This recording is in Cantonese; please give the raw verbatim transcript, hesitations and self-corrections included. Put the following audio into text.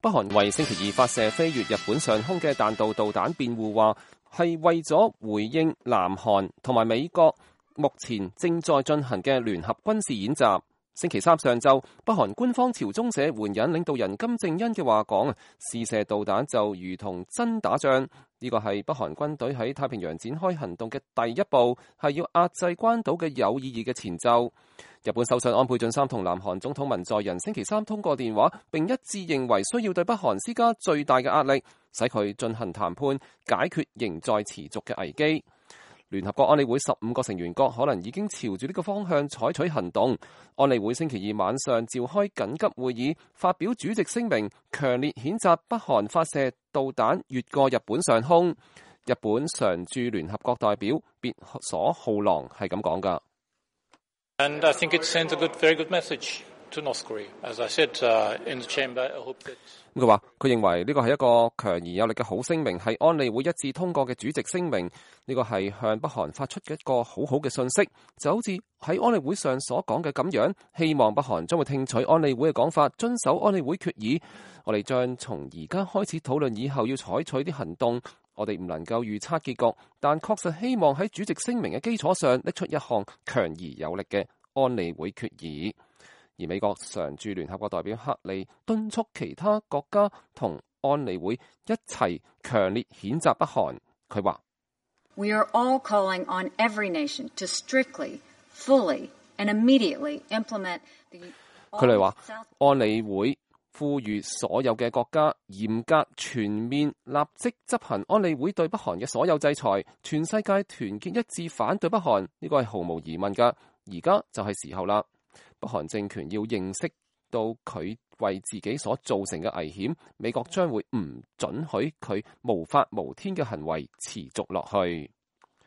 北韓為星期二發射飛越日本上空嘅彈道導彈辯護，話係為咗回應南韓同埋美國目前正在進行嘅聯合軍事演習。星期三上晝，北韓官方朝中社援引領導人金正恩嘅話講，試射導彈就如同真打仗。呢個係北韓軍隊喺太平洋展開行動嘅第一步，係要壓制關島嘅有意義嘅前奏。日本首相安倍晉三同南韓總統文在寅星期三通過電話，並一致認為需要對北韓施加最大嘅壓力，使佢進行談判，解決仍在持續嘅危機。聯合國安理會十五個成員國可能已經朝住呢個方向採取行動。安理會星期二晚上召開緊急會議，發表主席聲明，強烈譴責北韓發射導彈越過日本上空。日本常駐聯合國代表別所浩郎係咁講㗎。And I think it sends a good, very good message to North Korea. As I said, uh, in the chamber, I hope that. 佢話佢認為呢個係一個強而有力嘅好聲明，係安理會一致通過嘅主席聲明。呢個係向北韓發出嘅一個好好嘅信息，就好似喺安理會上所講嘅咁樣。希望北韓將會聽取安理會嘅講法，遵守安理會決議。我哋將從而家開始討論以後要採取啲行動。我哋唔能夠預測結局，但確實希望喺主席聲明嘅基礎上拎出一項強而有力嘅安理會決議。而美國常駐聯合國代表克利敦促其他國家同安理會一齊強烈譴責北韓。佢話 We are all calling on every nation to strictly, fully and immediately implement the 佢哋話安理會呼籲所有嘅國家嚴格全面立即執行安理會對北韓嘅所有制裁，全世界團結一致反對北韓，呢個係毫無疑問㗎。而家就係時候啦。北韓政權要認識到佢為自己所造成嘅危險，美國將會唔准許佢無法無天嘅行為持續落去。